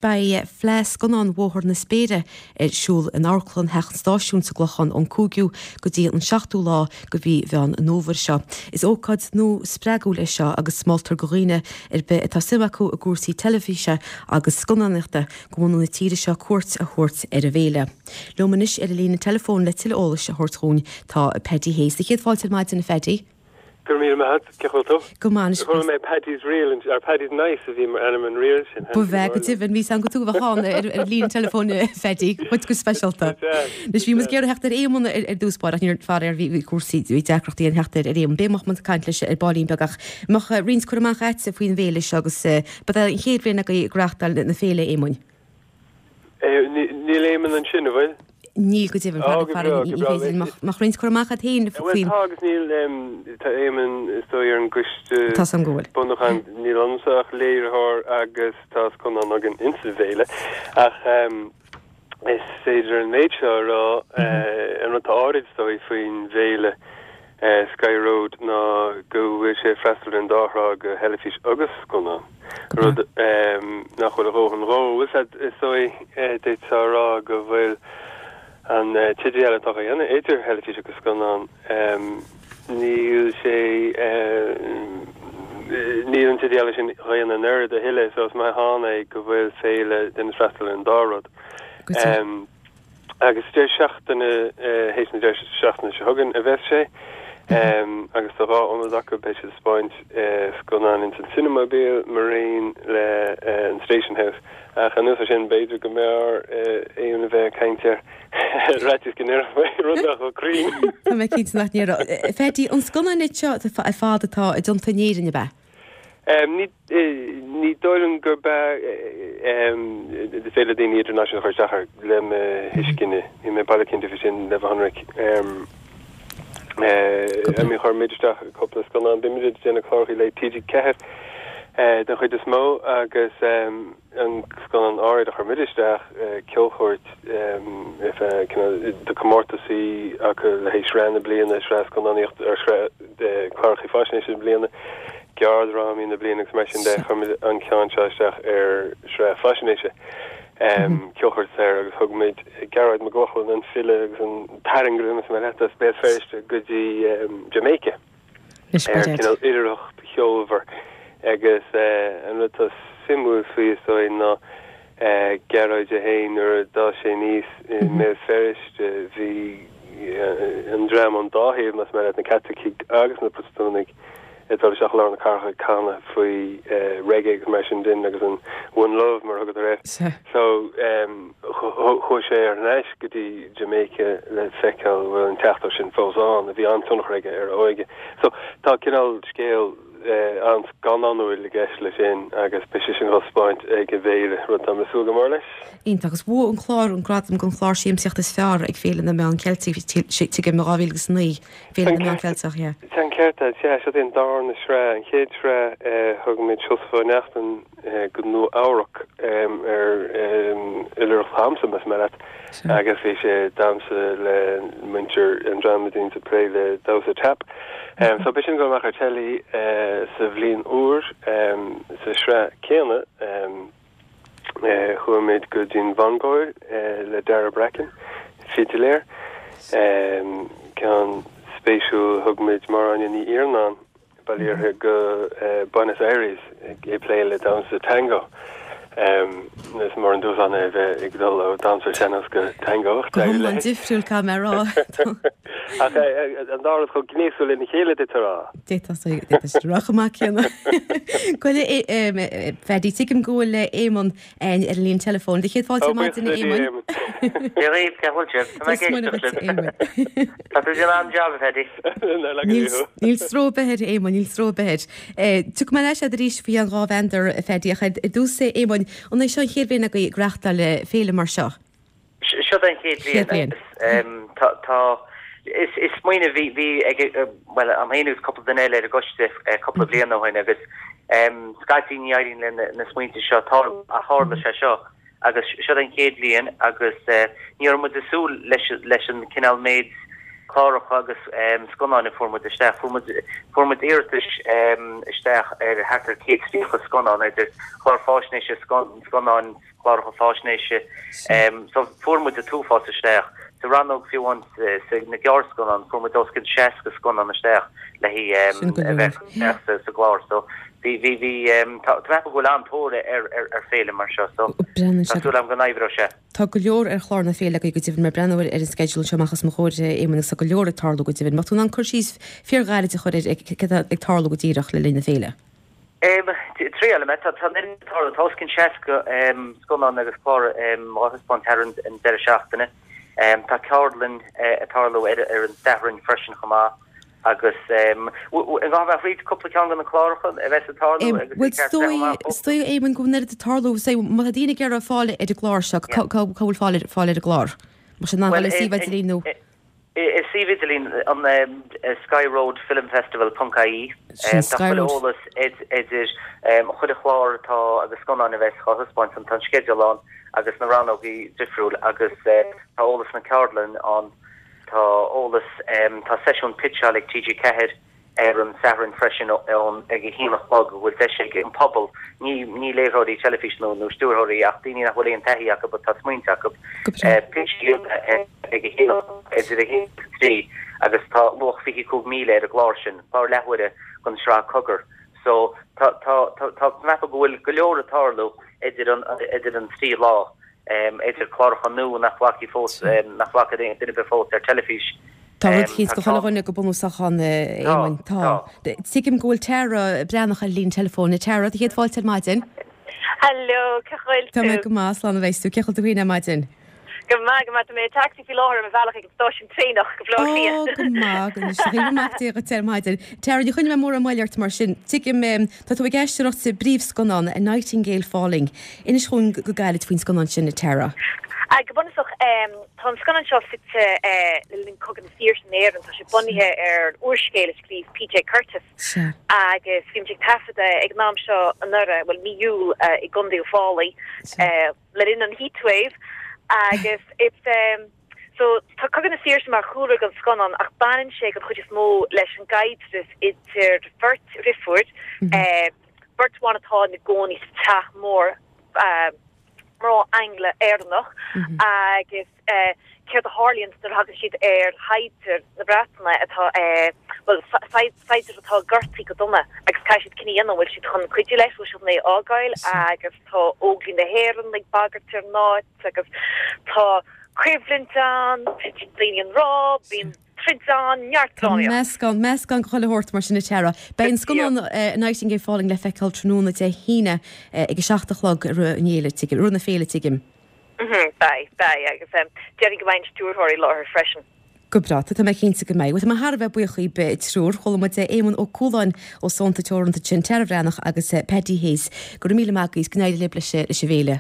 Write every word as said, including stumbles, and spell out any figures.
Beidh Fleadh Scannán Bhóthar na Spéire ar siúl in Amharclann Theach an Stáisiúin sa gClochán ón cúigiú go dtí an seachtú lá de mhí Mheán an Fhómhair seo. Is ócáid nua spreagúil é seo agus moltar do dhaoine ar bith atá suim acu i gcúrsaí teilifíse agus scannánaíochta de bhunadh na tíre seo cuairt a thabhairt ar an bhféile. Liom anois ar an líne teileafóin le tuilleadh eolais a thabhairt dúinn tá Paddy Hayes. Céad fáilte ar maidin a Phaddy. Go raibh míle maith cén chaoi a bhfuil tú? Go maith. Chuala mé Paddy's Reel ar Paddy's Nice a bhí mar ainm an reel sin. Ba bheith go deimhin bhí an go tú bheán ar ar líon telefón Phaddy chuid go speisialta. Anois bhí muid ag iarraidh theacht ar Éamonn ar dtús báire níor faraor bhí cúrsaí bhí deacrachtaí an theacht ar Éamonn. Beidh muid ag caint leis ar baillín beag ach mbeadh roinnt cur amach agat faoin bhféile seo agus ba é an chéad bhliain agaibh ag reáchtáil na féile Éamoinn. Níl Éamonn ansin an bhfuil? Níl go deimhin mbeadh roinnt cur amach agat féin faoin. Tá agus níl tá Éamonn is dóigh ar an gcoiste Tá an go bhfuil. bunúcháin níl ionamsa ach léiritheoir agus tá scannán againn insa bhféile ach is féidir an méid seo a rá an rud atá áirid is dóigh faoin bhféile Sky Road ná go bhfuil sé freastal ar an dá thrá go theilifís agus scannán. Rud nach bhfuil a dhóthain dhó is dóigh d'fhéadfá a rá go bhfuil an t-idirdhealú atá á dhéanamh idir theilifís agus scannán níl sé níl an t-idirdhealú sin á dhéanamh an oiread a thuilleadh so is maith ann é go bhfuil féile ag déanamh freastal ar an dá rud. Agus deireadh seachtaine théis na deireadh seachtaine seo chugainn a bheas sé agus tá dhá ionad acu beidh siad ag spáint scannán ins an Cinemobile mar aon le an Station House. Ach anuas air sin b'fhéidir go mb'fhearr Éamonn a bheith ag caint air ráiteas go ndéarfaí rud nach bhfuil cruinn. Tá mé cinnte nach ndéarfá. Phaddy, an scannán seo ar fad atá déanta in Éirinn ab ea? Ní ní dóigh liom gurb ea is féidir le daoine idirnáisiúnta a chur isteach air le mo thuiscint. Níl mé baileach cinnte faoi sin le bheith ionraic. I mean chuir muid isteach cúpla scannán, bímid ag déanamh cláracha le TG Ceathair den chuid is mó agus an scannán áirid a chuir muid isteach ceolchuairt de comórtasaí acu le haghaidh sraith na bliana, sraith scannánaíocht ar sraith cláracha faisnéise na bliana, gearrdhrámaí na bliana agus mar sin de chuir muid an ceann seo isteach ar sraith faisnéise. Ceolchuairt air agus thug muid Gearóid Mac Lochlainn an file agus an tairngire más maith leat as Béal Feirste go dtí Jamaica. Ar cineál oilithreacht cheolmhar agus an rud atá suimiúil faoi is dóigh ná Gearóid é féin nuair a d'fhás sé aníos i mBéal Feirste bhí an dream ón dá thaobh más maith leat na Caitlicigh agus na Protastúnaigh ag dul isteach i lár na cathrach ag canadh faoi reggae agus mar sin din agus an One Love mar a thugadar air. So chuaigh sé ar ais go dtí Jamaica le feiceáil bhfuil an teachtaireacht sin fós ann a bhí an-tionchar aige ar a óige. So tá cineál scéal an-scannánúil i gceist leis sin agus beidh sé sin á spáint ag an bhféile, rud atá mé ag súil go mór leis. Iontach agus bhuaigh an clár an gradam don chlár siamsaíochta is fearr ag Féile na Meán Ceilteach tuigim i dhá mhíle agus naoi. Féile na Meán Ceilteach, yeah. Tá an ceart agat, sea, seo é an darna sraith. An chéad sraith thug muid Seosamh Ó Neachtain go Nua Eabhrac ar oilithreacht dhamhsa, más maith leat, agus bhí sé ag damhsa le muintir an dream a bhíonns ag plé le damhsa tap. So beidh sin ag dul amach ar teilí sa bhliain úr sa sraith céanna. Chuaigh muid go dtí an Mhongóil le Dara Bracken, fidiléir. Ceann spéisiúil, thug muid Máire Áine Ní Iarnáin, bail ó Dhia uirthi, go Buenos Aires ag plé le damhsa tango. Is mór an dúshlán é a bheith ag dul ó damhsa sean-nós go tango. Go hiomlán difriúil, caithfidh mé a rá. Ach an dá rud chomh gnéasúil lena chéile, d'fhéadfá a rá. D'fhéadfá a rá chomh maith céanna. Bhuel, a Phaddy, tuigim go bhfuil Éamonn ar an líne teileafóin. Do chéad fáilte ar maidin, a Éamoinn. Dia dhaoibh, cén chaoi a bhfuil sibh? Tá mé ag éisteacht libh. Tá tú ag déanamh an-jab, a Phaddy. Níl stró ar bith air, a Éamoinn, níl stró ar bith air. Tiocfaidh mé ar ais agat arís faoi an dhá mheandar, a Phaddy, ach ar dtús, a Éamoinn, an é seo an chéad bhliain agaibh ag reáchtáil féile mar seo? Seo é an chéad bhliain agus tá, is smaoineamh bhí, bhí ag, bhuel, agam féin agus cúpla duine eile ar an gcoiste cúpla bliain ó shin agus scaití ní éiríonn le na smaointe seo tarlú ach tharla sé seo agus seo é an chéad bhliain agus ní raibh muid ag súil leis, leis an cineál méid cláracha agus scannáin a fuair muid isteach. Fuair muid, fuair muid iarratais isteach ar thart ar céad tríocha scannán idir chlár faisnéise, scannáin, cláracha faisnéise. So fuair muid an t-uafás isteach. Sa rannóg fiú amháin sa na gearrscannán fuair muid os cionn seasca scannán isteach le a bheith sa gclár. So bhí bhí bhí tá mé ag ceapadh go bhfuil an-tóir ar ar ar féile mar seo so tá súil agam go n-oibreoidh sé. Tá go leor ar chlár na féile agaibh go deimhin, mé ag breathnú ar an sceideal anseo amach os mo chomhair, Éamonn, agus tá go leor ag tarlú go deimhin. Mbeadh tú in ann cur síos fíorghairid a chur ar céard atá ag tarlú go díreach le linn na féile? Triail mé. Tá an oiread ag tarlú. Tá os cionn seasca scannán agus clár á thaispeáint thar an deireadh seachtaine. Tá ceardlann ag tarlú ar an Satharn freisin chomh maith agus an gá mé thríd cúpla ceann de na cláracha a bheas ag tarlú agus Bhuel, is dóigh, is dóigh, Éamonn, go bhfuil an oiread ag tarlú. Say, má tá daoine ag iarraidh fáil ar an gclár seo, cá bhfuil fáil ar an gclár? Má sin an bhfuil suíomh idirlín nó? Is suíomh idirlín an skyroadfilmfestival ponc ie. Sin Tá Sky chuile Road. eolas idir chuile chlár atá agus scannáin a bheas á thaispeáint ann. Tá an sceideal ann agus na rannógaí difriúil agus tá eolas na ceardlann ann. Tá eolas, tá seisiún pitseáil ag T G ceathair ar an Satharn freisin ón ag a haon a chlog a bhfuil deis ag an pobal, ní ní léiritheoirí teilifíse nó nó stiúrthóirí ach daoine nach bhfuil aon taithí acu but tá smaointe acu, pitch a dhéanamh ag a haon idir a haon agus a trí agus tá luach fiche cúig míle ar an gclár sin, clár leathuaire den sraith Cogar. So tá tá tá tá mé ag ceapadh go bhfuil go leor ag tarlú idir an idir an trí lá. idir cláracha nua nach bhfaca fós, nach bhfaca duine ar bith fós ar teilifís. Tá rud eicínt do chuile dhuine go bunúsach ann, a Éamoinn. Tá. Tuigim go bhfuil Tara Breathnach ar an líne teileafóin. A Tara, do chéad fáilte ar maidin. Hello, cén chaoi a bhfuil Tá mé tú? go maith, slán a bheas tú. Cén chaoi a bhfuil tú féin ar maidin? Go maith, go maith. Tá mé i dtacsaí faoi láthair ar mo bhealach ag an stáisiún traenach go Baile Átha Ó, Cliath. go maith, go maith. Go raibh maith agat ar maidin. Tara, ní choinneoidh mé mórán moille ort mar sin. Tuigim, tá tú ag aisteoireacht sa bpríomhscannán, A Nightingale Falling. Inis dhúinn go gairid faoin scannán sin, a Tara. Go bunúsach, tá an scannán seo suite le linn Cogadh na Saoirse in Éirinn. Tá sé bunaithe ar úrscéal a scríobh P J Curtis agus bhí muid ag taifeadadh ag an am seo anuraidh, bhuel mí Iúil i gContae Uíbh Fhailí le linn an heatwave agus it's so tá Cogadh na Saoirse mar chúlra don scannán ach baineann sé den chuid is mó leis an gcaidreamh idir bheirt dheirfiúr, beirt bhan atá ina gcónaí sa teach mór, mná Angla-Éireannach agus céard a tharlaíonn nuair a thagann siad ar shaighdiúir na Breataine atá, bhuel, saighdiúir atá gortaithe go dona agus caithfidh siad cinneadh a dhéanamh an bhfuil siad chun cuidiú leis, bhfuil siad chun é a fhágáil agus tá Óglaigh na hÉireann ag bagairt ar an áit agus tá coimhlint ann, titeann daoine i ngrá, bíonn troid ann, neart Tá drámaíocht. meascán, meascán de chuile shórt mar sin a Tara. Beidh an scannán A Nightingale Falling le feiceáil tráthnóna Dé hAoine ag a seacht a chlog i rith an fhéile, tuigim, i rith na féile, tuigim. Mhm, beidh, beidh, agus déarfainn go mbeidh an stiúrthóir i láthair freisin. Go breá, tá mé cinnte go mbeidh. Bhuel, tá mé thar a bheith buíoch dhaoibh triúr. Chuala muid Éamonn Ó Cualáin ó Sónta Teoranta ansin, Tara Bhreathnach agus Paddy Hayes. Go raibh míle maith agaibh, go n-éirí libh leis an bhféile.